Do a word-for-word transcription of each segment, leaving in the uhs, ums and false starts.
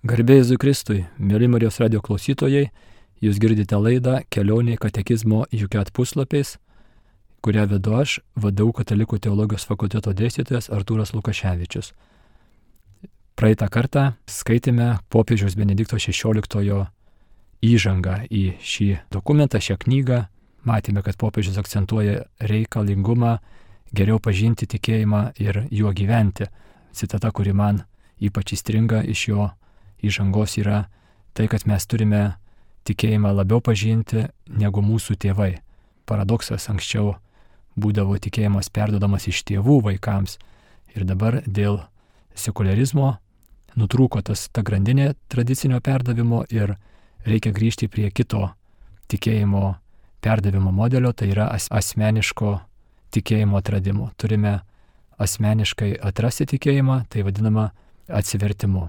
Garbė Jėzui Kristui, mėly Marijos radio klausytojai, jūs girdite laidą Kelionė katekizmo Juket puslapiais, kurią vedu aš, V D U Katalikų teologijos fakulteto dėstytojas Artūras Lukaševičius. Praeitą kartą skaitėme popiežiaus Benedikto šešioliktojo įžangą į šį dokumentą, šią knygą. Matėme, kad popiežius akcentuoja reikalingumą geriau pažinti tikėjimą ir juo gyventi. Citata, kuri man ypač įstringa iš jo įžangos, yra tai, kad mes turime tikėjimą labiau pažinti negu mūsų tėvai. Paradoksas, anksčiau būdavo tikėjimas perdodamas iš tėvų vaikams ir dabar dėl sekularizmo nutrūko tas ta grandinė tradicinio perdavimo ir reikia grįžti prie kito tikėjimo perdavimo modelio, tai yra as- asmeniško tikėjimo atradimo. Turime asmeniškai atrasti tikėjimą, tai vadinama atsivertimu.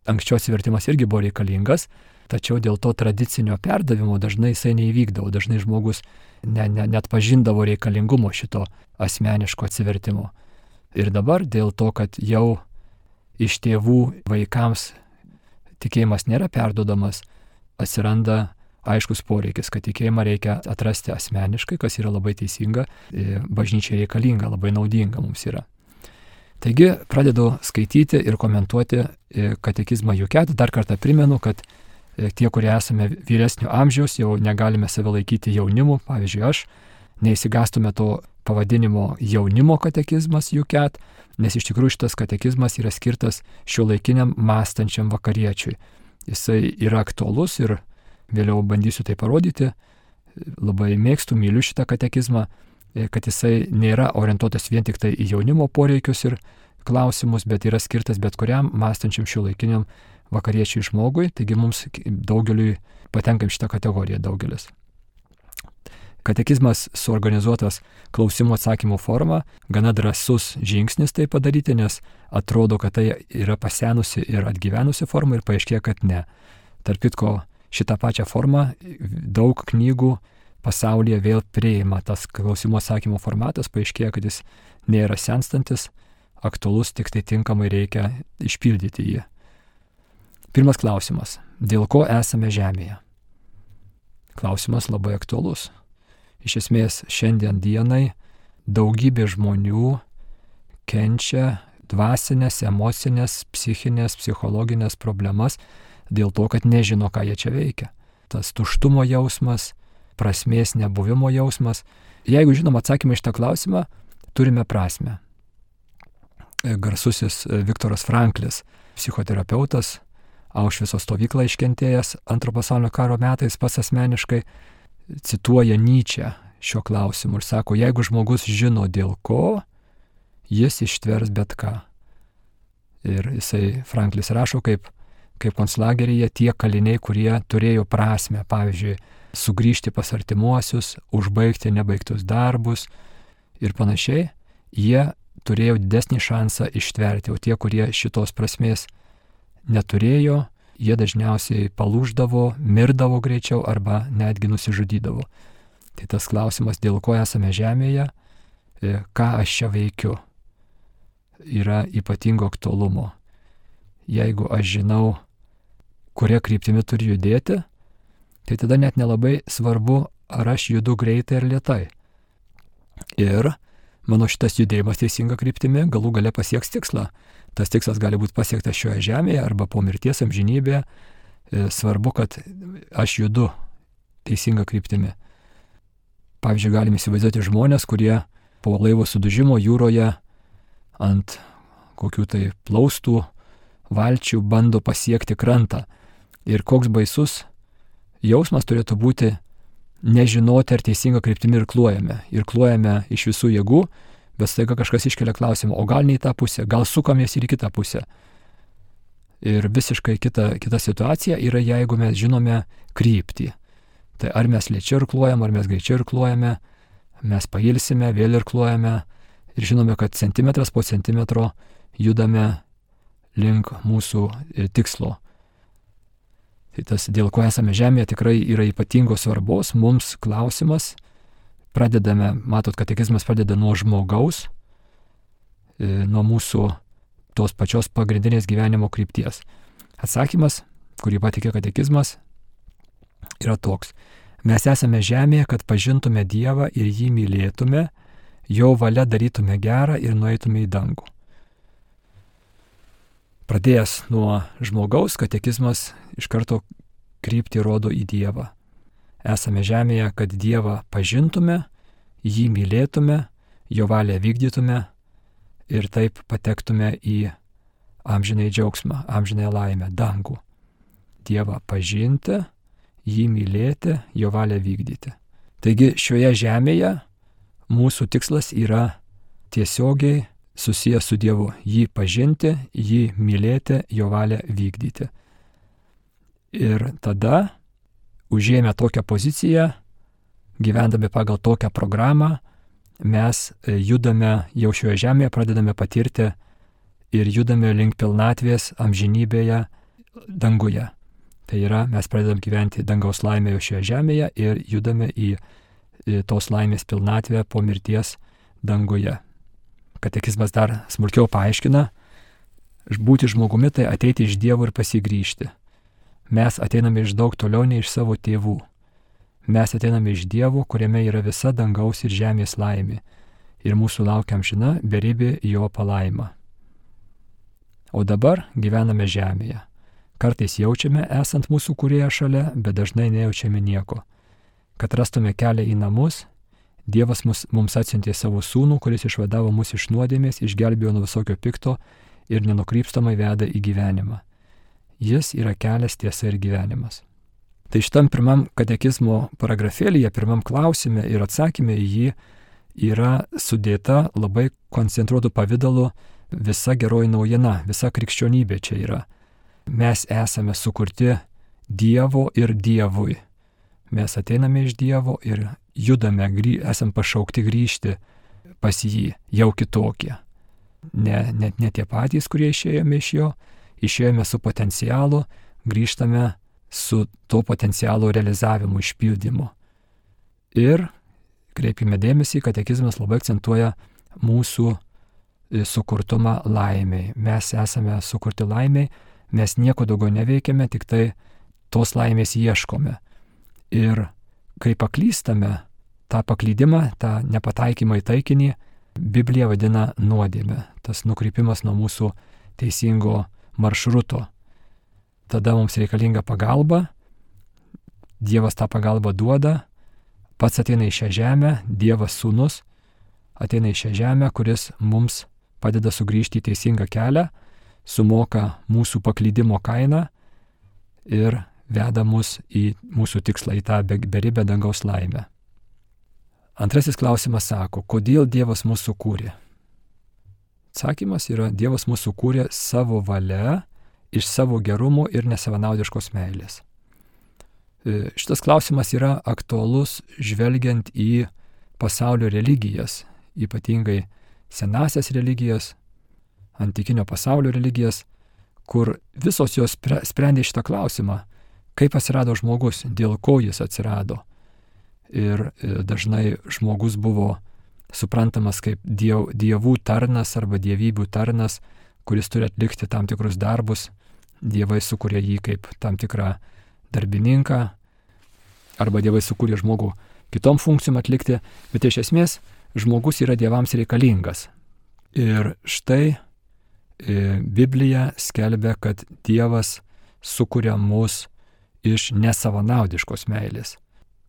Anksčiau atsivertimas irgi buvo reikalingas, tačiau dėl to tradicinio perdavimo dažnai jisai neįvykdavo, dažnai žmogus ne, ne, net pažindavo reikalingumo šito asmeniško atsivertimo. Ir dabar dėl to, kad jau iš tėvų vaikams tikėjimas nėra perduodamas, atsiranda aiškus poreikis, kad tikėjimą reikia atrasti asmeniškai, kas yra labai teisinga, bažnyčiai reikalinga, labai naudinga mums yra. Taigi pradedu skaityti ir komentuoti katekizmą Juket. Dar kartą primenu, kad tie, kurie esame vyresnio amžiaus, jau negalime save laikyti jaunimu. Pavyzdžiui, aš neįsigastume to pavadinimo jaunimo katekizmas Juket, nes iš tikrųjų šitas katekizmas yra skirtas šiuolaikiniam mąstančiam vakariečiui. Jisai yra aktualus ir vėliau bandysiu tai parodyti. Labai mėgstu, myliu šitą katekizmą, kad jisai nėra orientuotas vien tik tai į jaunimo poreikius ir klausimus, bet yra skirtas bet kuriam mąstančiam šiuolaikiniam vakariečiui žmogui, taigi mums daugeliui patenkam šitą kategoriją daugelis. Katekizmas suorganizuotas klausimų atsakymų forma, gana drąsus žingsnis tai padaryti, nes atrodo, kad tai yra pasenusi ir atgyvenusi forma ir paaiškėja, kad ne. Tarp kitko, šitą pačią formą daug knygų pasaulyje vėl priima. Tas klausimų atsakymo formatas paaiškėja, kad jis nėra senstantis, aktualus, tik tai tinkamai reikia išpildyti jį. Pirmas klausimas. Dėl ko esame žemėje? Klausimas labai aktualus. Iš esmės, šiandien dienai daugybė žmonių kenčia dvasinės, emocinės, psichinės, psichologinės problemas dėl to, kad nežino, ką jie čia veikia. Tas tuštumo jausmas, prasmės nebuvimo jausmas. Jeigu žinom atsakymą iš tą klausimą, turime prasmę. Garsusis Viktoras Franklis, psichoterapeutas, Aušvico stovyklą iškentėjęs antro pasaulinio karo metais, pats asmeniškai cituoja Nyčę šio klausimu ir sako, jeigu žmogus žino dėl ko, jis ištvers bet ką. Ir jisai, Franklis rašo, kaip, kaip konclageryje tie kaliniai, kurie turėjo prasmę, pavyzdžiui, sugrįžti pas artimuosius, užbaigti nebaigtus darbus ir panašiai, jie turėjo didesnį šansą ištverti, o tie, kurie šitos prasmės neturėjo, jie dažniausiai palūždavo, mirdavo greičiau arba netgi nusižudydavo. Tai tas klausimas, dėl ko esame žemėje, ką aš čia veikiu, yra ypatingo aktualumo. Jeigu aš žinau, kuria kryptimi turiu judėti, tai tada net nelabai svarbu, ar aš judu greitai ar lėtai. Ir mano šitas judėjimas teisinga kryptimi galų gale pasieks tikslą. Tas tikslas gali būti pasiektas šioje žemėje arba po mirties amžinybėje. Svarbu, kad aš judu teisinga kryptimi. Pavyzdžiui, galime įsivaizduoti žmonės, kurie po laivo sudužimo jūroje ant kokių tai plaustų valčių bando pasiekti krantą. Ir koks baisus jausmas turėtų būti nežinoti, ar teisinga kryptimi irkluojame. Irkluojame iš visų jėgų, bet staiga kažkas iškelia klausimą, o gal ne į tą pusę, gal sukamės ir į kitą pusę. Ir visiškai kita, kita situacija yra, jeigu mes žinome kryptį. Tai ar mes lėčiau irkluojame, ar mes greičiau irkluojame, mes pailsime, vėl irkluojame ir žinome, kad centimetras po centimetro judame link mūsų tikslo. Tai tas, dėl ko esame žemėje, tikrai yra ypatingos svarbos. Mums klausimas, pradedame, matot, katekizmas pradeda nuo žmogaus, nuo mūsų tos pačios pagrindinės gyvenimo krypties. Atsakymas, kurį patikė katekizmas, yra toks. Mes esame žemėje, kad pažintume Dievą ir jį mylėtume, jo valia darytume gerą ir nueitume į dangų. Pradėjęs nuo žmogaus, katekizmas iš karto kryptį rodo į Dievą. Esame žemėje, kad Dievą pažintume, jį mylėtume, jo valią vykdytume ir taip patektume į amžinai džiaugsmą, amžinai laimę, dangų. Dievą pažinti, jį mylėti, jo valią vykdyti. Taigi šioje žemėje mūsų tikslas yra tiesiogiai susijęs su Dievu. Jį pažinti, jį mylėti, jo valią vykdyti. Ir tada, užėmę tokią poziciją, gyvendami pagal tokią programą, mes judame jau šioje žemėje, pradedame patirti ir judame link pilnatvės amžinybėje danguje. Tai yra, mes pradedam gyventi dangaus laimėje šioje žemėje ir judame į, į tos laimės pilnatvę po mirties danguje. Katekizmas dar smulkiau paaiškina, būti žmogumi tai ateiti iš Dievo ir pasigrįžti. Mes ateiname iš daug toliau nei iš savo tėvų. Mes ateiname iš Dievo, kuriame yra visa dangaus ir žemės laimė. Ir mūsų laukia amžina beribė jo palaima. O dabar gyvename žemėje. Kartais jaučiame esant mūsų kūrėją šalia, bet dažnai nejaučiame nieko. Kad rastume kelią į namus, Dievas mus, mums atsiuntė savo sūnų, kuris išvadavo mus iš nuodėmės, išgelbėjo nuo visokio pikto ir nenukrypstamai veda į gyvenimą. Jis yra kelias, tiesa ir gyvenimas. Tai šitam pirmam katekizmo paragrafėlyje, pirmam klausime ir atsakymė į jį yra sudėta labai koncentruotų pavidalu visa geroji naujiena, visa krikščionybė čia yra. Mes esame sukurti Dievo ir Dievui. Mes ateiname iš Dievo ir judame, grį, esam pašaukti grįžti pas jį, jau kitokie. Ne, ne, ne tie patys, kurie išėjome iš jo, išėjome su potencialu, grįžtame su to potencialo realizavimu, išpildymu. Ir kreipime dėmesį, katekizmas labai akcentuoja mūsų sukurtumą laimiai. Mes esame sukurti laimiai, mes nieko daugiau neveikiame, tik tai tos laimės ieškome. Ir kai paklystame, tą paklydimą, tą nepataikymą į taikinį, Biblija vadina nuodėmę. Tas nukrypimas nuo mūsų teisingo maršruto. Tada mums reikalinga pagalba, Dievas tą pagalbą duoda, pats ateina į šią žemę, Dievas sūnus ateina į šią žemę, kuris mums padeda sugrįžti į teisingą kelią, sumoka mūsų paklydimo kainą ir veda mus į mūsų tikslą, į tą beribę dangaus laimę. Antrasis klausimas sako, kodėl Dievas mūsų kūrė? Atsakymas yra, Dievas mūsų kūrė savo valia, iš savo gerumo ir nesavanaudiškos meilės. Šitas klausimas yra aktualus žvelgiant į pasaulio religijas, ypatingai senasias religijas, antikinio pasaulio religijas, kur visos jos sprendė šitą klausimą, kaip atsirado žmogus, dėl ko jis atsirado. Ir dažnai žmogus buvo suprantamas kaip diev, dievų tarnas arba dievybių tarnas, kuris turi atlikti tam tikrus darbus. Dievai sukūrė jį kaip tam tikrą darbininką, arba dievai sukūrė žmogų kitom funkcijom atlikti, bet iš esmės žmogus yra dievams reikalingas. Ir štai e, Biblija skelbia, kad Dievas sukuria mus iš nesavanaudiškos meilės.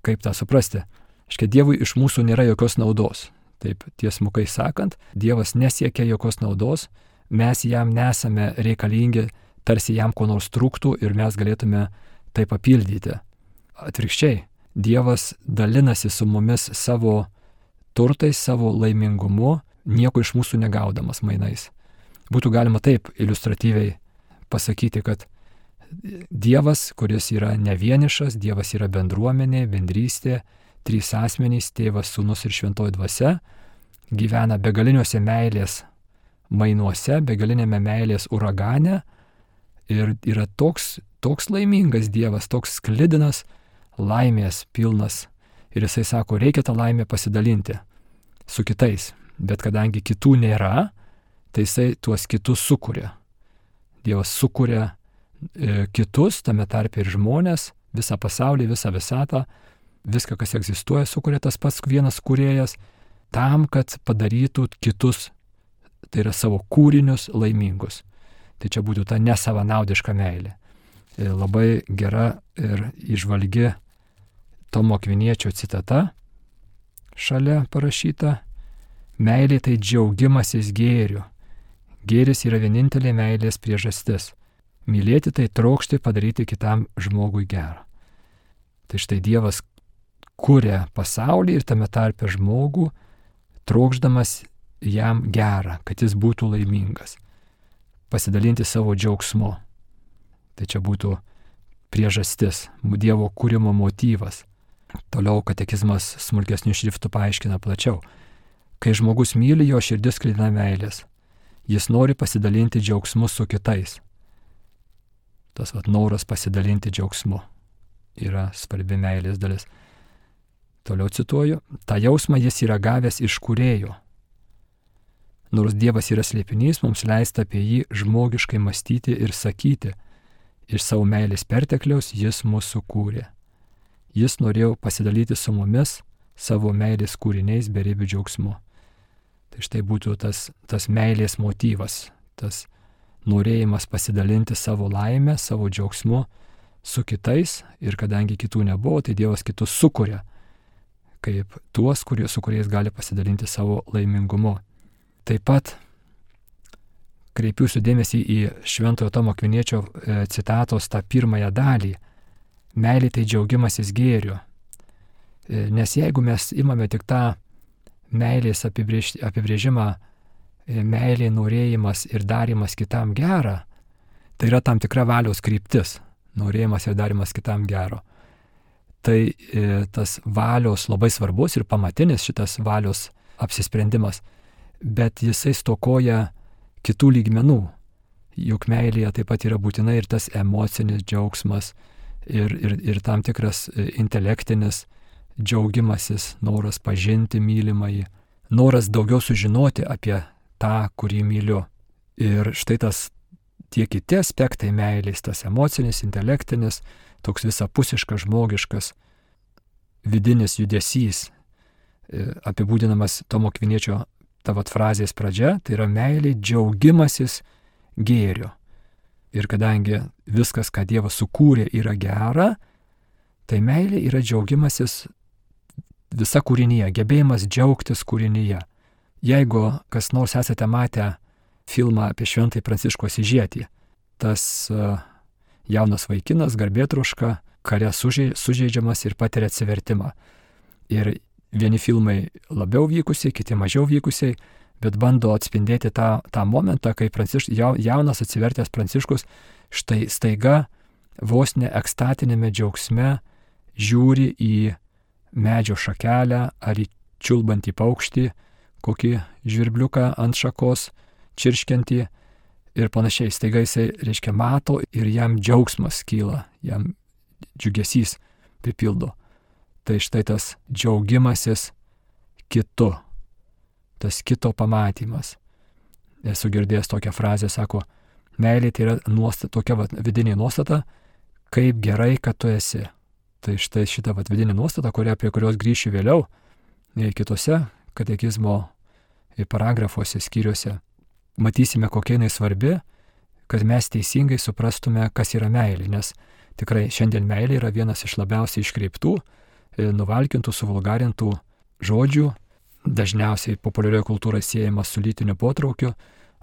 Kaip tą suprasti? Škia Dievui iš mūsų nėra jokios naudos. Taip tiesmukai sakant, Dievas nesiekia jokios naudos, mes jam nesame reikalingi, tarsi jam ko nors trūktų ir mes galėtume tai papildyti. Atvirkščiai, Dievas dalinasi su mumis savo turtais, savo laimingumu, nieko iš mūsų negaudamas mainais. Būtų galima taip iliustratyviai pasakyti, kad Dievas, kuris yra ne vienišas, Dievas yra bendruomenė, bendrystė, trys asmenys, tėvas, sūnus ir šventoji dvasia, gyvena begaliniuose meilės mainuose, begalinėme meilės uragane ir yra toks, toks laimingas Dievas, toks sklidinas, laimės pilnas. Ir jisai sako, reikia tą laimę pasidalinti su kitais. Bet kadangi kitų nėra, tai jisai tuos kitus sukuria. Dievas sukuria kitus, tame tarpe ir žmonės, visą pasaulį, visą visatą, viską, kas egzistuoja, sukuria tas pats vienas kūrėjas, tam, kad padarytų kitus, tai yra savo kūrinius, laimingus. Tai čia būtų ta nesavanaudiška meilė. Labai gera ir įžvalgi Tomo Akviniečio citata šalia parašyta: meilė tai džiaugimasis gėriu. Gėris yra vienintelė meilės priežastis. Mylėti tai trokšti padaryti kitam žmogui gerą. Tai štai Dievas kuria pasaulį ir tame tarpe žmogų, trokšdamas jam gerą, kad jis būtų laimingas, pasidalinti savo džiaugsmu. Tai čia būtų priežastis, Dievo kūrimo motyvas. Toliau katekizmas smulkesnių šriftų paaiškina plačiau. Kai žmogus myli, jo širdis sklidina meilės. Jis nori pasidalinti džiaugsmu su kitais. Tas vat noras pasidalinti džiaugsmu yra svarbi meilės dalis. Toliau cituoju: tą jausmą jis yra gavęs iš kūrėjo. Nors Dievas yra slėpinys, mums leista apie jį žmogiškai mąstyti ir sakyti: iš savo meilės pertekliaus jis mūsų kūrė. Jis norėjo pasidalyti su mumis savo meilės kūriniais beribių džiaugsmu. Tai štai būtų tas, tas meilės motyvas, tas norėjimas pasidalinti savo laimę, savo džiaugsmu su kitais, ir kadangi kitų nebuvo, tai Dievas kitus sukuria kaip tuos, kurie, su kuriais gali pasidalinti savo laimingumu. Taip pat kreipiuosi dėmesį į Šventojo Tomo Akviniečio citatos tą pirmąją dalį. Meilė tai džiaugimasis gėriu. Nes jeigu mes imame tik tą meilės apibrėž, apibrėžimą, meilė, norėjimas ir darimas kitam gerą, tai yra tam tikra valios kryptis, norėjimas ir darimas kitam gero. Tai e, tas valios labai svarbus ir pamatinis šitas valios apsisprendimas, bet jisai stokoja kitų lygmenų. Juk meilėje taip pat yra būtinai ir tas emocinis džiaugsmas, ir, ir, ir tam tikras intelektinis džiaugimasis, noras pažinti mylimąjį, noras daugiau sužinoti apie tą, kurį myliu. Ir štai tas tie kiti aspektai meilės, tas emocinis, intelektinis, toks visapusiškas, žmogiškas, vidinis judesys, apibūdinamas Tomo Akviniečio tavat frazės pradžia, tai yra meilė džiaugimasis gėriu. Ir kadangi viskas, ką Dievas sukūrė, yra gera, tai meilė yra džiaugimasis visa kūrinyje, gebėjimas džiaugtis kūrinyje. Jeigu kas nors esate matę filmą apie Šventąjį Pranciškų Asyžietį, tas uh, jaunas vaikinas, garbėtroška, kare sužeidžiamas ir patiria atsivertimą. Ir vieni filmai labiau vykusiai, kiti mažiau vykusiai, bet bando atspindėti tą, tą momentą, kai Pranciš, jaunas atsivertęs Pranciškus štai staiga vos ne ekstatinėme džiaugsme žiūri į medžio šakelę ar į čiulbantį paukštį, kokį žvirbliuką ant šakos čirškiantį ir panašiai. Staiga jisai, reiškia, mato ir jam džiaugsmas kyla, jam džiugesys pripildo. Tai štai tas džiaugimasis kitu, tas kito pamatymas. Esu girdėjęs tokią frazę, sako, meilė tai yra nuostata, tokia vat, vidinė nuostata, kaip gerai, kad tu esi. Tai štai šita vat, vidinė nuostata, kuria, prie kurios grįšiu vėliau, kitose katekizmo paragrafuose, skyriuose, matysime, kokia jinai svarbi, kad mes teisingai suprastume, kas yra meilė, nes tikrai šiandien meilė yra vienas iš labiausiai iškreiptų, nuvalkintų, suvulgarintų žodžių, dažniausiai populiarioje kultūroje siejamas su lytiniu potraukiu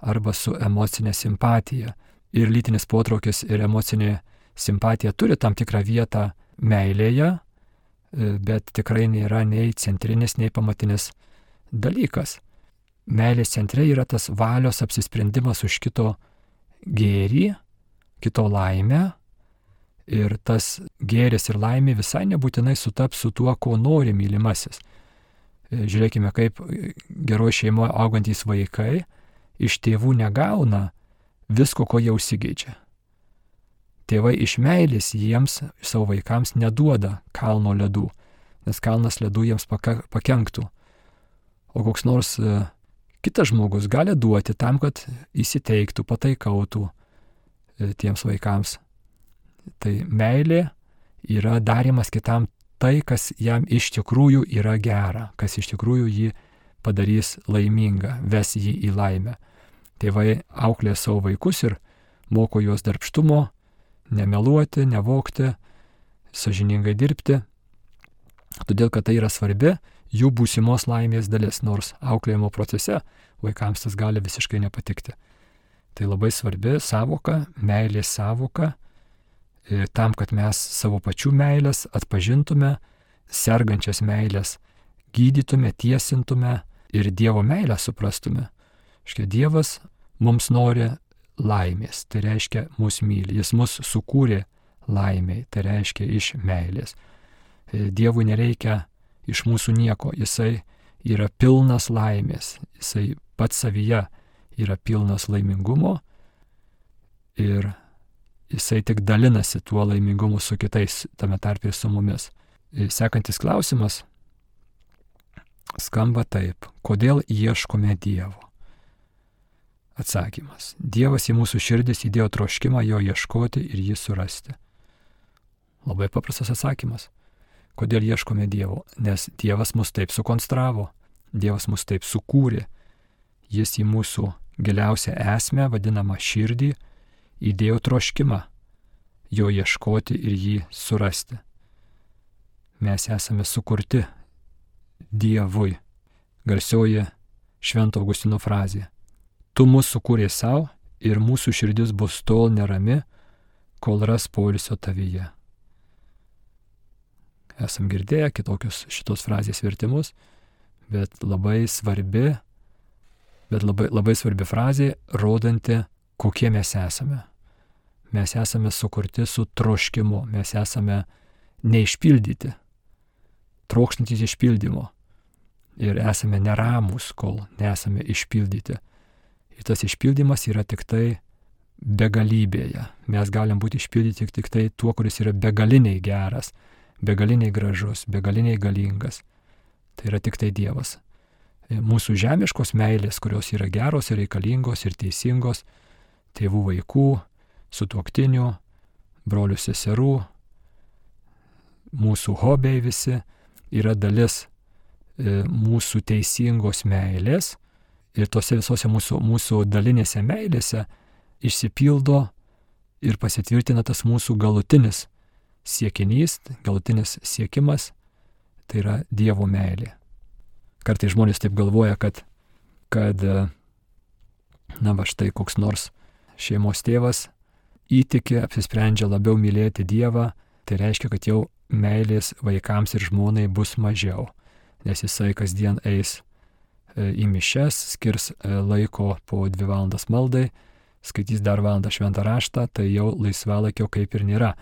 arba su emocinė simpatija. Ir lytinis potraukis ir emocinė simpatija turi tam tikrą vietą meilėje, bet tikrai nėra nei centrinis, nei pamatinis dalykas. Meilės centre yra tas valios apsisprendimas už kito gėrį, kito laimę, ir tas gėris ir laimė visai nebūtinai sutaps su tuo, ko nori mylimasis. Žiūrėkime, kaip geroj šeimoje augantys vaikai iš tėvų negauna visko, ko jie užsigeidžia. Tėvai iš meilės jiems, savo vaikams, neduoda kalno ledų, nes kalnas ledų jiems pakenktų. O koks nors kitas žmogus gali duoti tam, kad įsiteiktų, pataikautų tiems vaikams. Tai meilė yra darimas kitam tai, kas jam iš tikrųjų yra gera, kas iš tikrųjų jį padarys laimingą, ves jį į laimę. Tėvai auklė savo vaikus ir moko juos darbštumo, nemeluoti, nevogti, sąžiningai dirbti, todėl kad tai yra svarbi jų būsimos laimės dalis, nors auklėjimo procese vaikams tas gali visiškai nepatikti. Tai labai svarbi savoka, meilės savoka, tam, kad mes savo pačių meilės atpažintume, sergančias meilės gydytume, tiesintume ir Dievo meilę suprastume. Škia Dievas mums nori laimės, tai reiškia mus myli, jis mus sukūrė laimiai, tai reiškia iš meilės. Dievui nereikia iš mūsų nieko, jisai yra pilnas laimės, jisai pats savyje yra pilnas laimingumo ir jisai tik dalinasi tuo laimingumu su kitais, tame tarpe ir su mumis. Sekantis klausimas skamba taip: kodėl ieškome Dievo? Atsakymas: Dievas į mūsų širdis įdėjo troškimą jo ieškoti ir jį surasti. Labai paprastas atsakymas. Kodėl ieškome Dievo? Nes Dievas mus taip sukonstravo, Dievas mus taip sukūrė. Jis į mūsų giliausią esmę, vadinamą širdį, įdėjo troškimą jo ieškoti ir jį surasti. Mes esame sukurti Dievui. Garsioji Švento Augustino frazė: tu mus sukūrė savo ir mūsų širdis bus tol nerami, kol ras poilsio tavyje. Esam girdėję kitokius šitos frazės vertimus, bet labai svarbi, bet labai, labai svarbi frazė, rodanti, kokie mes esame. Mes esame sukurti su troškimu, mes esame neišpildyti, trokštantys išpildymo. Ir esame neramus, kol nesame išpildyti. Ir tas išpildymas yra tik tai begalybėje. Mes galim būti išpildyti tik, tik tai tuo, kuris yra begaliniai geras, begaliniai gražus, begaliniai galingas. Tai yra tik tai Dievas. Mūsų žemiškos meilės, kurios yra geros ir reikalingos ir teisingos, tėvų vaikų, sutuoktinių, brolių seserų, mūsų hobiai visi, yra dalis mūsų teisingos meilės ir tose visose mūsų, mūsų dalinėse meilėse išsipildo ir pasitvirtina tas mūsų galutinis siekinys, galutinis siekimas, tai yra Dievo meilė. Kartais žmonės taip galvoja, kad, kad na va štai koks nors šeimos tėvas įtiki, apsisprendžia labiau mylėti Dievą, tai reiškia, kad jau meilės vaikams ir žmonai bus mažiau, nes jisai kasdien eis į mišias, skirs laiko po dvi valandas maldai, skaitys dar valandą šventą raštą, tai jau laisvalaikio kaip ir nėra.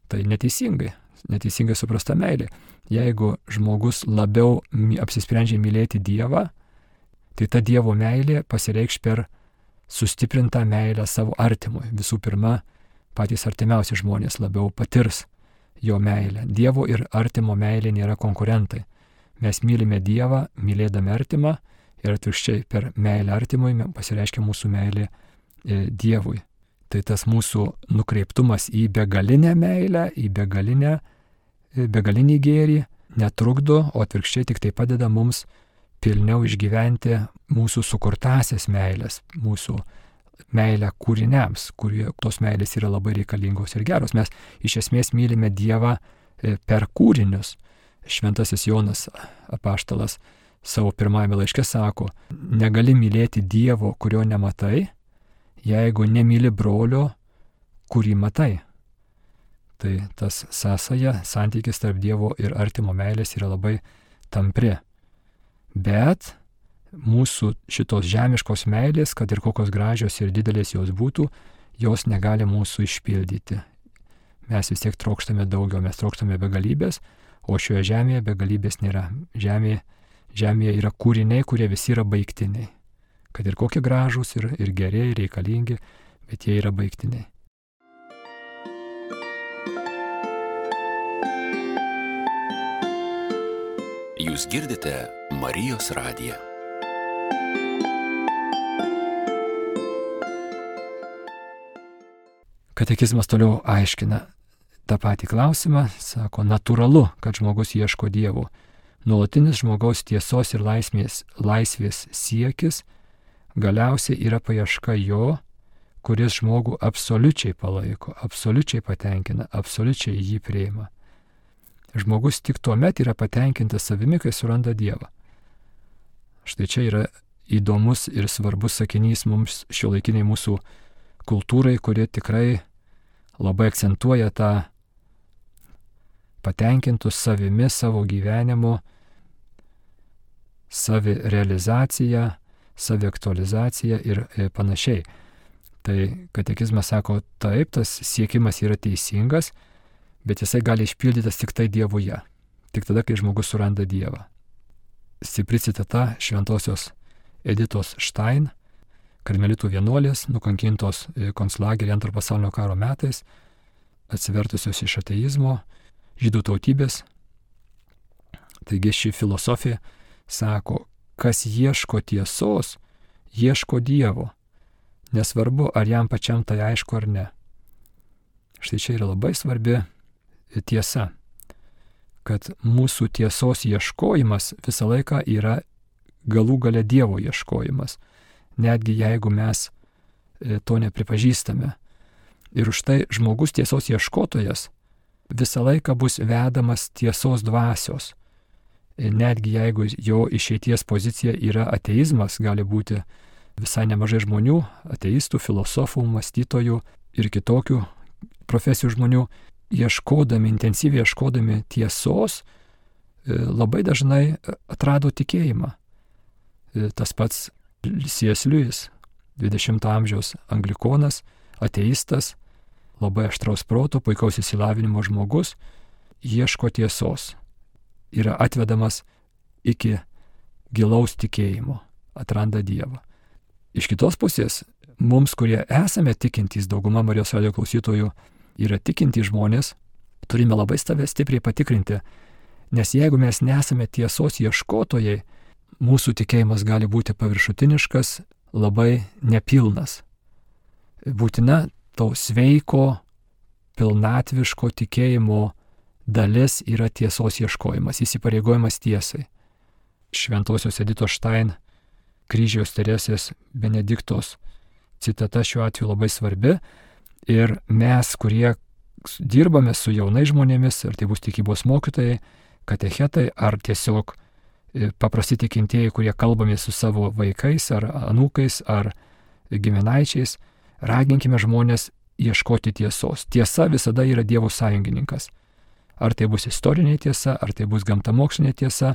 Tai neteisingai, neteisingai suprasta meilė. Jeigu žmogus labiau apsisprendžia mylėti Dievą, tai ta Dievo meilė pasireikš per sustiprintą meilę savo artimui. Visų pirma, patys artimiausi žmonės labiau patirs jo meilę. Dievo ir artimo meilė nėra konkurentai. Mes mylime Dievą, mylėdami artimą, ir atvirkščiai per meilę artimui pasireiškia mūsų meilė e, Dievui. Tai tas mūsų nukreiptumas į begalinę meilę, į begalinę, begalinį gėrį netrukdo, o atvirkščiai tik tai padeda mums pilniau išgyventi mūsų sukurtasias meilės, mūsų meilę kūriniams, kurie tos meilės yra labai reikalingos ir geros. Mes iš esmės mylime Dievą per kūrinius. Šventasis Jonas apaštalas savo pirmajame laiške sako: negali mylėti Dievo, kurio nematai, jeigu nemyli brolio, kurį matai. Tai tas sąsaja, santykis tarp Dievo ir artimo meilės yra labai tampri. Bet mūsų šitos žemiškos meilės, kad ir kokios gražios ir didelės jos būtų, jos negali mūsų išpildyti. Mes vis tiek trokštame daugiau, mes trokštame begalybės, o šioje žemėje begalybės nėra. Žemėje, žemėje yra kūriniai, kurie visi yra baigtiniai. Kad ir kokie gražūs, ir, ir geri, ir reikalingi, bet jie yra baigtiniai. Jūs girdite Marijos radiją. Katekizmas toliau aiškina: tą patį klausimą, sako, natūralu, kad žmogus ieško Dievo. Nuolatinis žmogaus tiesos ir laisvės, laisvės siekis galiausiai yra paieška jo, kuris žmogų absoliučiai palaiko, absoliučiai patenkina, absoliučiai jį priima. Žmogus tik tuo met yra patenkintas savimi, kai suranda Dievą. Štai čia yra įdomus ir svarbus sakinys mums šiuolaikiniai mūsų kultūrai, kuri tikrai labai akcentuoja tą patenkintus savimi, savo gyvenimu, savirealizaciją, saviaktualizaciją ir panašiai. Tai katekizmas sako, taip, tas siekimas yra teisingas, bet jisai gali išpildytas tik tai Dievuje, tik tada, kai žmogus suranda Dievą. Stipri citata šventosios Editos Štain, karmelitų vienuolės, nukankintos konclageryje antro pasaulinio karo metais, atsivertusios iš ateizmo, žydų tautybės. Taigi ši filosofija sako, kas ieško tiesos, ieško Dievo. Nesvarbu, ar jam pačiam tai aišku ar ne. Štai čia yra labai svarbi tiesa, kad mūsų tiesos ieškojimas visą laiką yra galų gale Dievo ieškojimas, netgi jeigu mes to nepripažįstame. Ir už tai žmogus tiesos ieškotojas visą laiką bus vedamas tiesos dvasios. Netgi jeigu jo išeities pozicija yra ateizmas, gali būti visai nemažai žmonių, ateistų, filosofų, mąstytojų ir kitokių profesijų žmonių, ieškodami, intensyviai ieškodami tiesos, labai dažnai atrado tikėjimą. Tas pats C S Lewis, dvidešimto amžiaus anglikonas, ateistas, labai aštraus proto, puikaus išsilavinimo žmogus, ieško tiesos, yra atvedamas iki gilaus tikėjimo, atranda Dievą. Iš kitos pusės, mums, kurie esame tikintys, dauguma Marijos radijo klausytojų yra tikintys žmonės, turime labai save stipriai patikrinti, nes jeigu mes nesame tiesos ieškotojai, mūsų tikėjimas gali būti paviršutiniškas, labai nepilnas. Būtina to sveiko, pilnatviško tikėjimo dalis yra tiesos ieškojimas, įsipareigojimas tiesai. Šventosios Editos Štain, kryžiaus Teresės Benediktos citata šiuo atveju labai svarbi ir mes, kurie dirbame su jaunais žmonėmis, ar tai bus tikybos mokytojai, katechetai, ar tiesiog paprasti tikintieji, kurie kalbame su savo vaikais, ar anūkais, ar giminaičiais, raginkime žmonės ieškoti tiesos. Tiesa visada yra Dievo sąjungininkas. Ar tai bus istorinė tiesa, ar tai bus gamtamokslinė tiesa,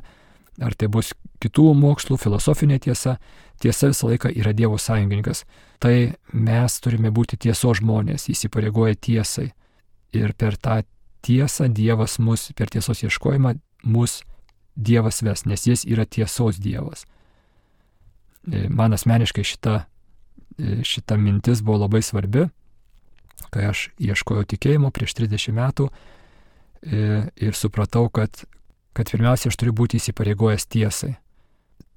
ar tai bus kitų mokslų, filosofinė tiesa, tiesa visą laiką yra Dievo sąjungininkas. Tai mes turime būti tiesos žmonės, įsipareigoję tiesai. Ir per tą tiesą Dievas mus, per tiesos ieškojimą, mus Dievas ves, nes jis yra tiesos Dievas. Man asmeniškai šita, šita mintis buvo labai svarbi, kai aš ieškojau tikėjimo prieš trisdešimt metų ir supratau, kad kad pirmiausia, aš turiu būti įsipareigojęs tiesai.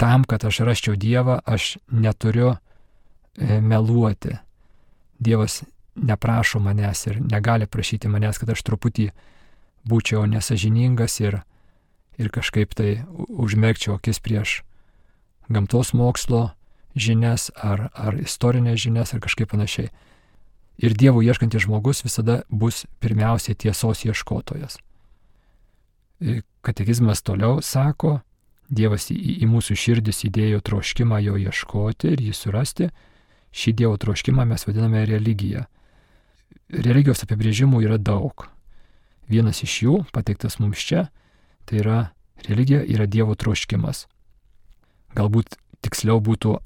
Tam, kad aš rasčiau Dievą, aš neturiu e, meluoti. Dievas neprašo manęs ir negali prašyti manęs, kad aš truputį būčiau nesažiningas ir, ir kažkaip tai užmerkčiau akis prieš gamtos mokslo žinias ar, ar istorinės žinias ar kažkaip panašiai. Ir Dievo ieškantis žmogus visada bus pirmiausiai tiesos ieškotojas. Katekizmas toliau sako, Dievas į, į mūsų širdis įdėjo troškimą jo ieškoti ir jį surasti. Šį Dievo troškimą mes vadiname religija. Religijos apibrėžimų yra daug. Vienas iš jų, pateiktas mums čia, tai yra religija yra Dievo troškimas. Galbūt tiksliau būtų,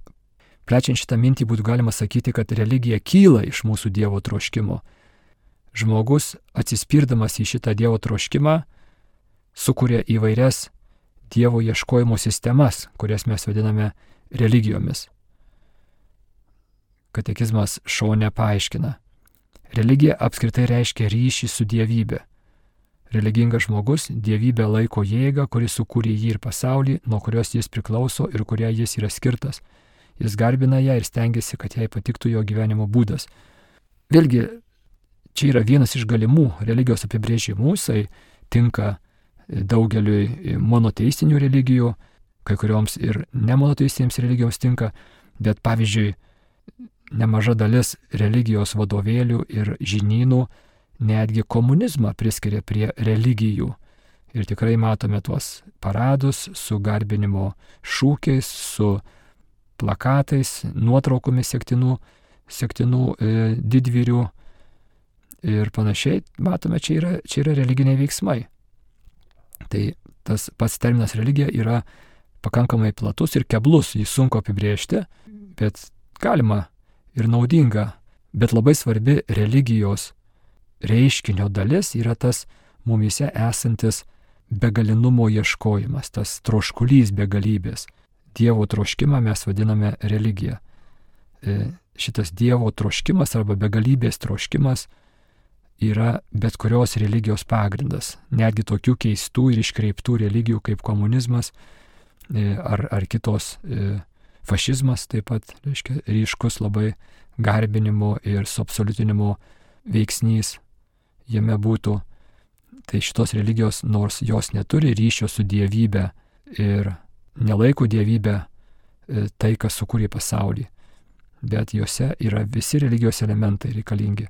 plečiant šitą mintį, būtų galima sakyti, kad religija kyla iš mūsų Dievo troškimo. Žmogus, atsispirdamas į šitą Dievo troškimą, sukuria įvairias Dievo ieškojimo sistemas, kurias mes vadiname religijomis. Katekizmas šone paaiškina. Religija apskritai reiškia ryšį su dievybė. Religingas žmogus dievybę laiko jėgą, kuri sukūrė jį ir pasaulį, nuo kurios jis priklauso ir kuria jis yra skirtas. Jis garbina ją ir stengiasi, kad jai patiktų jo gyvenimo būdas. Vėlgi, čia yra vienas iš galimų religijos apibrėžimų, jisai tinka daugeliui monoteistinių religijų, kai kurioms ir nemonoteistinėms religijoms tinka, bet pavyzdžiui, nemaža dalis religijos vadovėlių ir žinynų netgi komunizmą priskiria prie religijų. Ir tikrai matome tuos paradus su garbinimo šūkiais, su plakatais, nuotraukomis sektinų, sektinų e, didvyrių ir panašiai. Matome, čia yra, čia yra religiniai veiksmai. Tai tas pats terminas religija yra pakankamai platus ir keblus, jį sunku apibrėžti, bet galima ir naudinga, bet labai svarbi religijos reiškinio dalis yra tas mumyse esantis begalinumo ieškojimas, tas troškulys begalybės. Dievo troškimą mes vadiname religija. Šitas Dievo troškimas arba begalybės troškimas yra bet kurios religijos pagrindas. Netgi tokių keistų ir iškreiptų religijų kaip komunizmas ar, ar kitos fašizmas taip pat, reiškia, ryškus labai garbinimo ir suabsoliutinimo veiksnys jame būtų. Tai šitos religijos, nors jos neturi ryšio su dievybė ir nelaiko dievybę tai, kas sukūrė pasaulį, bet jose yra visi religijos elementai reikalingi.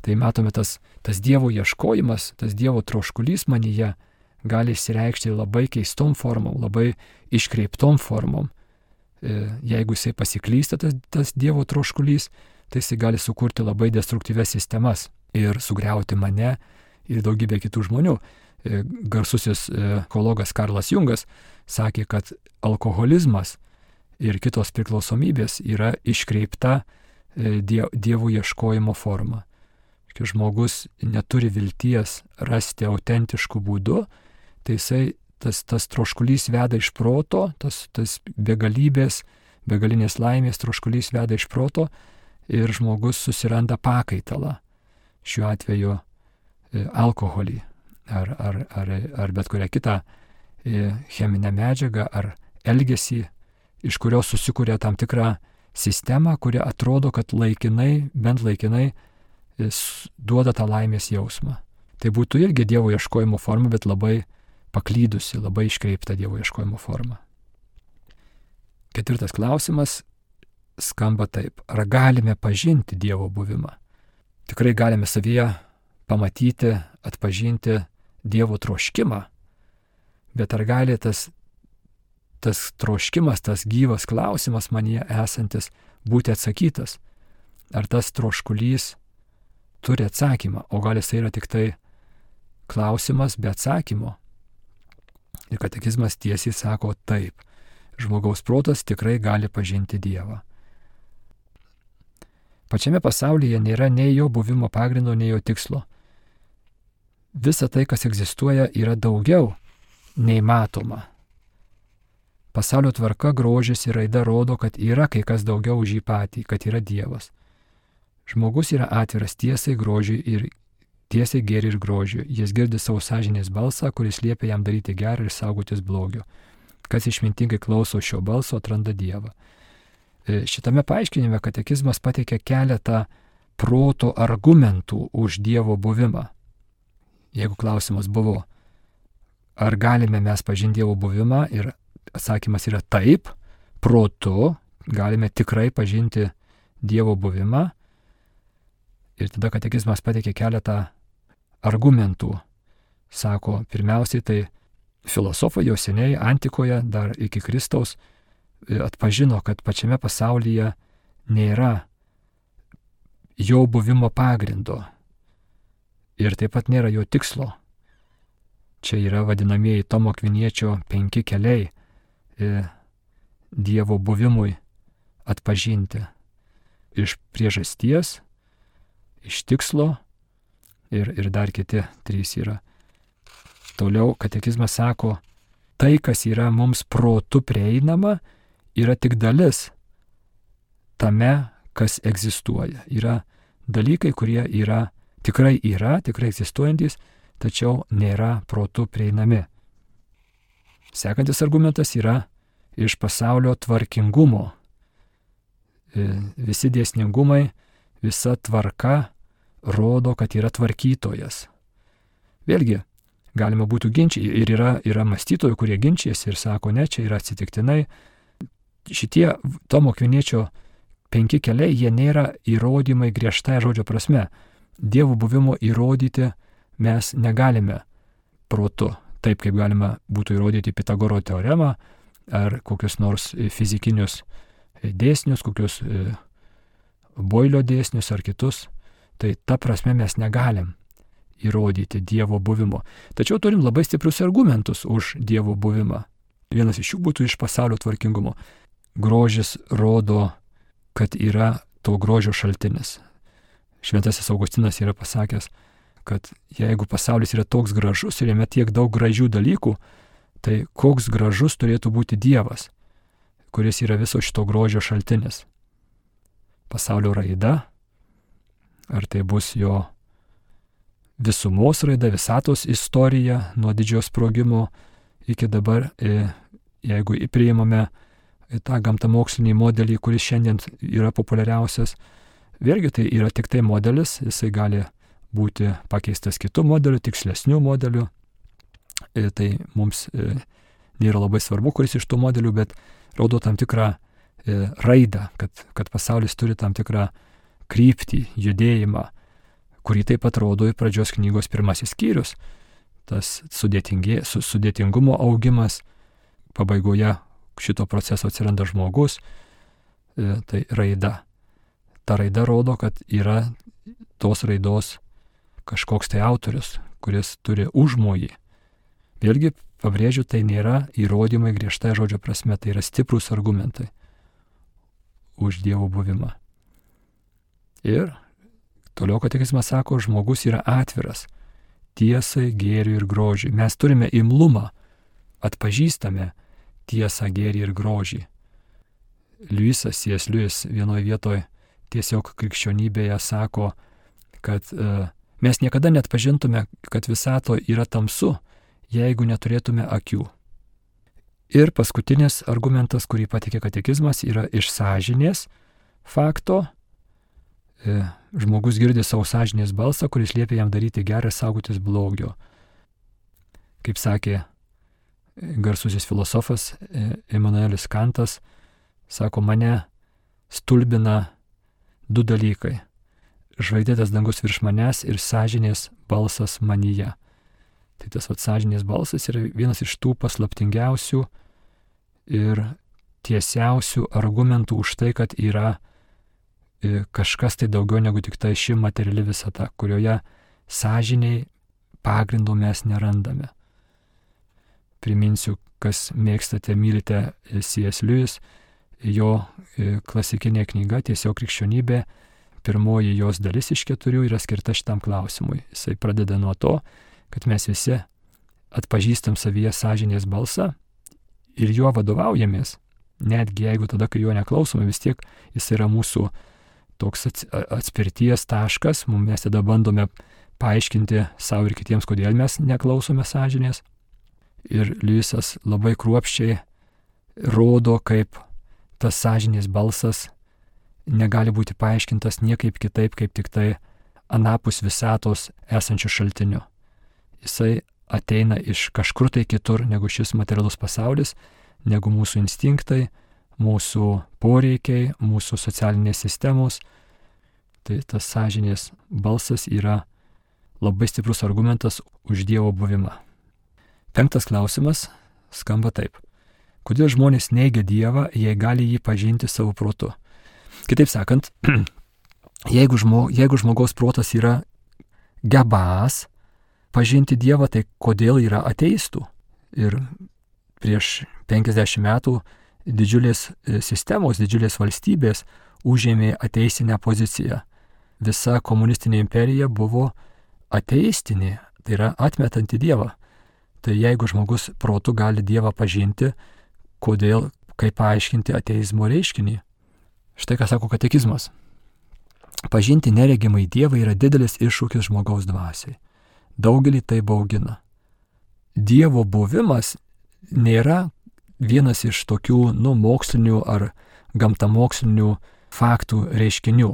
Tai matome, tas, tas Dievo ieškojimas, tas Dievo troškulys manyje gali išsireikšti labai keistom formom, labai iškreiptom formom. Jeigu jisai pasiklysta, tas, tas Dievo troškulys, tai jisai gali sukurti labai destruktyvias sistemas ir sugriauti mane ir daugybę kitų žmonių. Garsusis ekologas Karlas Jungas sakė, kad alkoholizmas ir kitos priklausomybės yra iškreipta Dievo ieškojimo forma. Kai žmogus neturi vilties rasti autentiškų būdų, tai jisai, tas, tas troškulys veda iš proto, tas, tas begalybės, begalinės laimės troškulys veda iš proto ir žmogus susiranda pakaitalą. Šiuo atveju alkoholį ar, ar, ar, ar bet kurią kitą cheminę medžiagą ar elgesį, iš kurios susikuria tam tikrą sistemą, kuri atrodo, kad laikinai, bent laikinai duoda tą laimės jausmą. Tai būtų irgi Dievo ieškojimo forma, bet labai paklydusi, labai iškreipta Dievo ieškojimo forma. Ketvirtas klausimas skamba taip. Ar galime pažinti Dievo buvimą? Tikrai galime savyje pamatyti, atpažinti Dievo troškimą, bet ar gali tas, tas troškimas, tas gyvas klausimas manyje esantis būti atsakytas? Ar tas troškulys turi atsakymą, o gal jis yra tik tai klausimas be atsakymo? Ir katekizmas tiesiai sako taip. Žmogaus protas tikrai gali pažinti Dievą. Pačiame pasaulyje nėra nei jo buvimo pagrindo, nei jo tikslo. Visa tai, kas egzistuoja, yra daugiau nei matoma. Pasaulio tvarka, grožis ir raida rodo, kad yra kai kas daugiau už jį patį, kad yra Dievas. Žmogus yra atviras tiesai, grožiui ir tiesai gėriui ir grožiui. Jis girdi savo sąžinės balsą, kuris liepia jam daryti gerą ir saugotis blogio. Kas išmintingai klauso šio balso, atranda Dievą. Šitame paaiškinime katekizmas pateikia keletą proto argumentų už Dievo buvimą. Jeigu klausimas buvo, ar galime mes pažinti Dievo buvimą, ir atsakymas yra taip, protu galime tikrai pažinti Dievo buvimą, ir tada katekizmas pateikia keletą argumentų. Sako, pirmiausiai tai filosofai jau seniai antikoje, dar iki Kristaus, atpažino, kad pačiame pasaulyje nėra jo buvimo pagrindo ir taip pat nėra jo tikslo. Čia yra vadinamieji Tomo Akviniečio penki keliai Dievo buvimui atpažinti. Iš priežasties, iš tikslo ir, ir dar kiti trys yra. Toliau katekizmas sako, tai, kas yra mums protu prieinama, yra tik dalis tame, kas egzistuoja. Yra dalykai, kurie yra, tikrai yra, tikrai egzistuojantis, tačiau nėra protu prieinami. Sekantis argumentas yra iš pasaulio tvarkingumo. Visi dėsningumai, visa tvarka rodo, kad yra tvarkytojas. Vėlgi, galima būtų ginčiai ir yra, yra mąstytojų, kurie ginčiasi ir sako, ne, čia yra atsitiktinai. Šitie Tomo Akviniečio penki keliai, jie nėra įrodymai griežtai žodžio prasme. Dievo buvimo įrodyti mes negalime protu, taip kaip galima būtų įrodyti Pitagoro teoremą ar kokius nors fizikinius dėsnius, kokius Boilio dėsnius ar kitus. Tai ta prasme mes negalim įrodyti Dievo buvimo. Tačiau turim labai stiprius argumentus už Dievo buvimą. Vienas iš jų būtų iš pasaulio tvarkingumo. Grožis rodo, kad yra to grožio šaltinis. Šventasis Augustinas yra pasakęs, kad jeigu pasaulis yra toks gražus ir jame tiek daug gražių dalykų, tai koks gražus turėtų būti Dievas, kuris yra viso šito grožio šaltinis. Pasaulio raida, ar tai bus jo visumos raida, visatos istorija nuo didžiojo sprogimo iki dabar, jeigu priimame tą gamtamokslinį modelį, kuris šiandien yra populiariausias, vėlgi tai yra tik tai modelis, jisai gali būti pakeistas kitų modelių, tikslesnių modelių. Tai mums nėra labai svarbu, kuris iš tų modelių, bet rodo tam tikrą raidą, kad, kad pasaulis turi tam tikrą kryptį, judėjimą, kurį taip pat rodo į pradžios knygos pirmasis skyrius. Tas sudėtingumo augimas, pabaigoje šito proceso atsiranda žmogus, tai raida. Ta raida rodo, kad yra tos raidos kažkoks tai autorius, kuris turi užmojį. Vėlgi, pabrėžiu, tai nėra įrodymai griežtai žodžio prasme, tai yra stiprūs argumentai už Dievo buvimą. Ir toliau katekizmas sako, žmogus yra atviras tiesai, gėriui ir grožiui. Mes turime imlumą, atpažįstame tiesą, gėrį ir grožį. Liujisas, C S Lewis vienoje vietoje tiesiog krikščionybėje sako, kad e, mes niekada net pažintume, kad visato yra tamsu, jeigu neturėtume akių. Ir paskutinis argumentas, kurį patikė katekizmas, yra iš sąžinės fakto. E, žmogus girdi savo sąžinės balsą, kuris liepia jam daryti gerą ir saugotis blogio. Kaip sakė garsusis filosofas Immanuelis Kantas, sako, mane stulbina du dalykai. Žvaigždėtas dangus virš manęs ir sąžinės balsas manyje. Tai tas vat sąžinės balsas yra vienas iš tų paslaptingiausių ir tiesiausių argumentų už tai, kad yra kažkas tai daugiau negu tik tai ši materiali visata, kurioje sąžiniai pagrindo mes nerandame. Priminsiu, kas mėgstate, mylite C S Lewis, jo klasikinė knyga Tiesiog krikščionybė, pirmoji jos dalis iš keturių yra skirta šitam klausimui. Jisai pradeda nuo to, kad mes visi atpažįstam savyje sąžinės balsą ir juo vadovaujamės. Netgi jeigu tada, kai jo neklausome, vis tiek jis yra mūsų toks atspirties taškas, mes tada bandome paaiškinti savo ir kitiems, kodėl mes neklausome sąžinės. Ir Liujisas labai kruopščiai rodo, kaip tas sąžinės balsas negali būti paaiškintas niekaip kitaip, kaip tik tai anapus visatos esančių šaltinių. Jisai ateina iš kažkur tai kitur negu šis materialus pasaulis, negu mūsų instinktai, mūsų poreikiai, mūsų socialinės sistemos. Tai tas sąžinės balsas yra labai stiprus argumentas už Dievo buvimą. Penktas klausimas skamba taip. Kodėl žmonės neigia Dievą, jei gali jį pažinti savo protu? Kitaip sakant, jeigu, žmo, jeigu žmogaus protas yra gebas pažinti Dievą, tai kodėl yra ateistų? Ir prieš penkiasdešimt metų didžiulės sistemos, didžiulės valstybės užėmė ateistinę poziciją. Visa komunistinė imperija buvo ateistinė, tai yra atmetanti Dievą. Tai jeigu žmogus protu gali Dievą pažinti, kodėl, kaip paaiškinti ateizmo reiškinį? Štai ką sako katekizmas. Pažinti neregimai Dievą yra didelis iššūkis žmogaus dvasiai. Daugelį tai baugina. Dievo buvimas nėra vienas iš tokių, nu, mokslinių ar gamtamokslinių faktų reiškinių.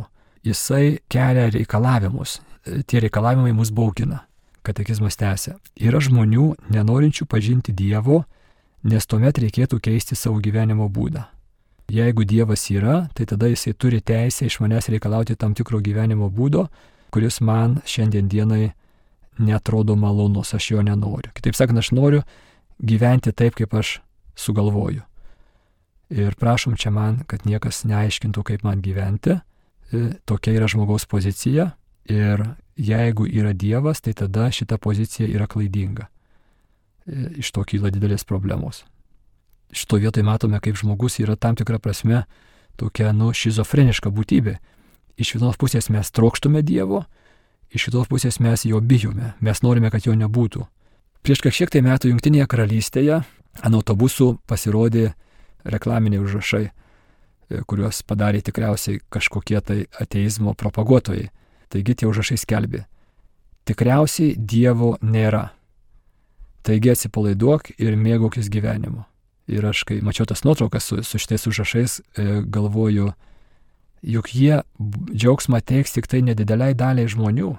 Jisai kelia reikalavimus. tie reikalavimai mus baugina. Katekizmas tęsia. Yra žmonių nenorinčių pažinti Dievo, nes tuomet reikėtų keisti savo gyvenimo būdą. Jeigu Dievas yra, tai tada jisai turi teisę iš manęs reikalauti tam tikro gyvenimo būdo, kuris man šiandien dienai netrodo malonus, aš jo nenoriu. Kitaip sakant, aš noriu gyventi taip, kaip aš sugalvoju. Ir prašom čia man, kad niekas neaiškintų, kaip man gyventi. Tokia yra žmogaus pozicija. Ir jeigu yra Dievas, tai tada šita pozicija yra klaidinga. Iš to kyla didelės problemos. Šito vietoj matome, kaip žmogus yra tam tikra prasme tokia, nu, šizofreniška būtybė. Iš vienos pusės mes trokštume Dievo, iš kitos pusės mes jo bijome, mes norime, kad jo nebūtų. Prieš kažkiek tai metų Jungtinėje karalystėje ant autobusų pasirodė reklaminiai užrašai, kuriuos padarė tikriausiai kažkokie tai ateizmo propaguotojai. Taigi tie užrašai skelbė: tikriausiai Dievo nėra. Taigi atsipalaiduok ir mėgaukis gyvenimu. Ir aš, kai mačiau tas nuotraukas su, su šitais užrašais, e, galvoju, juk jie džiaugsmą teiks tik tai nedideliai daliai žmonių.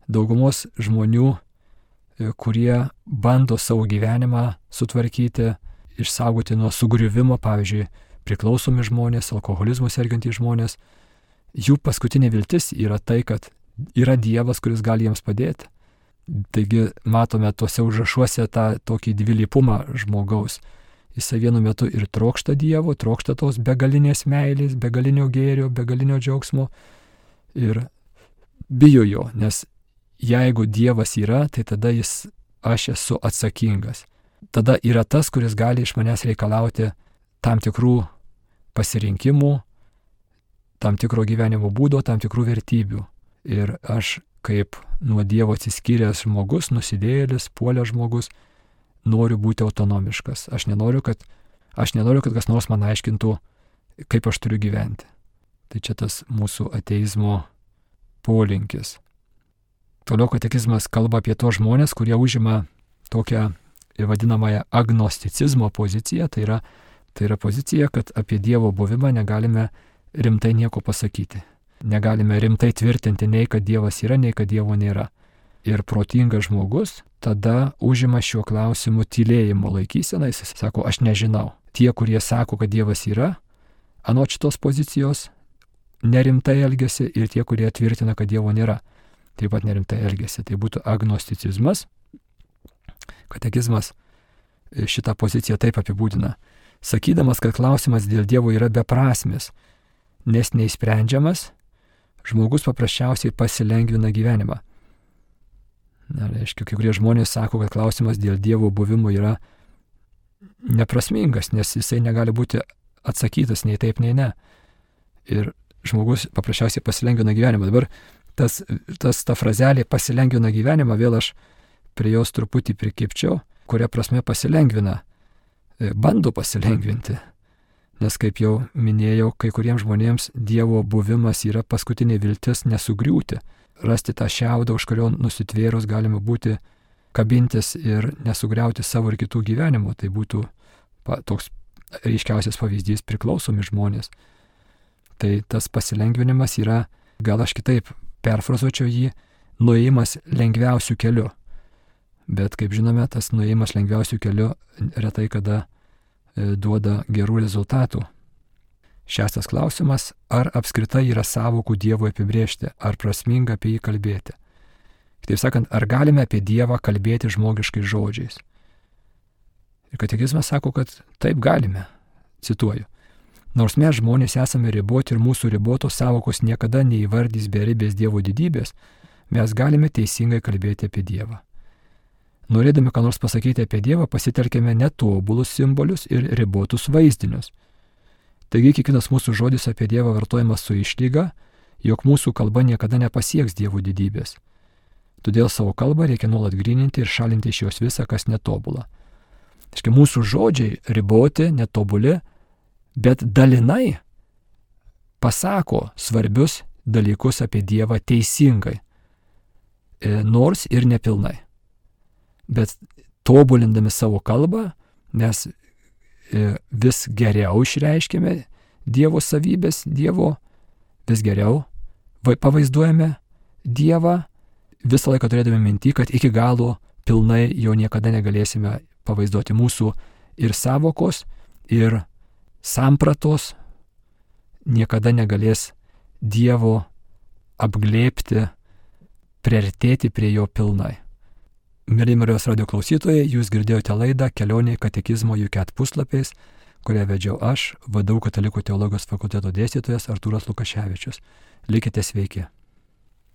Daugumos žmonių, e, kurie bando savo gyvenimą sutvarkyti, išsaugoti nuo sugriuvimo, pavyzdžiui, priklausomi žmonės, alkoholizmu sergantys žmonės. Jų paskutinė viltis yra tai, kad yra Dievas, kuris gali jiems padėti. Taigi matome tuose užrašuose tą tokį dvilypumą žmogaus. Jisai vienu metu ir trokšta Dievo, trokšta tos begalinės meilės, begalinio gėrio, begalinio džiaugsmo ir bijo jo, nes jeigu Dievas yra, tai tada jis, aš esu atsakingas. Tada yra tas, kuris gali iš manęs reikalauti tam tikrų pasirinkimų, tam tikro gyvenimo būdo, tam tikrų vertybių. Ir aš kaip nuo Dievo atsiskyręs žmogus, nusidėjėlis, puolęs žmogus, noriu būti autonomiškas. Aš nenoriu, kad, aš nenoriu, kad kas nors man aiškintų, kaip aš turiu gyventi. Tai čia tas mūsų ateizmo polinkis. Toliau katekizmas kalba apie tos žmonės, kurie užima tokią vadinamąją agnosticizmo poziciją. Tai yra, tai yra pozicija, kad apie Dievo buvimą negalime rimtai nieko pasakyti. Negalime rimtai tvirtinti nei, kad Dievas yra, nei, kad Dievo nėra. Ir protingas žmogus tada užima šiuo klausimu tylėjimo laikyseną. Jis sako, aš nežinau. Tie, kurie sako, kad Dievas yra, anot šitos pozicijos nerimtai elgiasi, ir tie, kurie tvirtina, kad Dievo nėra, taip pat nerimtai elgiasi. Tai būtų agnosticizmas. Katekizmas šitą poziciją taip apibūdina, sakydamas, kad klausimas dėl Dievo yra beprasmis, nes neįsprendžiamas, žmogus paprasčiausiai pasilengvina gyvenimą. Na, reiškia, kai kurie žmonės sako, kad klausimas dėl Dievo buvimo yra neprasmingas, nes jisai negali būti atsakytas nei taip, nei ne. Ir žmogus paprasčiausiai pasilengvina gyvenimą. Dabar tas, tas ta frazelė pasilengvina gyvenimą, vėl aš prie jos truputį prikipčiau, kuria prasme pasilengvina, bando pasilengvinti. Nes, kaip jau minėjau, kai kuriems žmonėms Dievo buvimas yra paskutinė viltis nesugriūti, rasti tą šiaudą, už kurio nusitvėrus galima būti kabintis ir nesugriauti savo ir kitų gyvenimų. Tai būtų pa, toks ryškiausias pavyzdys priklausomi žmonės. Tai tas pasilengvinimas yra, gal aš kitaip perfrazuočiau jį, nuėjimas lengviausių keliu. Bet, kaip žinome, tas nuėjimas lengviausių keliu retai kada duoda gerų rezultatų. Šeštas klausimas, ar apskritai yra sąvokų Dievui apibrėžti, ar prasminga apie jį kalbėti. Kitaip sakant, ar galime apie Dievą kalbėti žmogiškais žodžiais. Ir katekizmas sako, kad taip galime. Cituoju. Nors mes žmonės esame riboti ir mūsų ribotos sąvokos niekada neįvardys beribės Dievo didybės, mes galime teisingai kalbėti apie Dievą. Norėdami ką nors pasakyti apie Dievą, pasitelkėme netobulus simbolius ir ribotus vaizdinius. Taigi kiekvienas mūsų žodis apie Dievą vartojamas su išlyga, jog mūsų kalba niekada nepasieks Dievo didybės. Todėl savo kalbą reikia nuolat gryninti ir šalinti iš jos visą, kas netobula. Taigi mūsų žodžiai riboti, netobuli, bet dalinai pasako svarbius dalykus apie Dievą teisingai, nors ir nepilnai. Bet tobulindami savo kalbą, mes vis geriau išreiškime Dievo savybės, Dievo vis geriau pavaizduojame Dievą, visą laiką turėdami minti, kad iki galo pilnai jo niekada negalėsime pavaizduoti. Mūsų ir savokos, ir sampratos niekada negalės Dievo apglėbti, priartėti prie jo pilnai. Mieli Marijos radijo klausytojai, jūs girdėjote laidą Kelionė katekizmo U K E T puslapiais, kurią vedžiau aš, V D U Katalikų teologijos fakulteto dėstytojas Artūras Lukaševičius. Likite sveiki.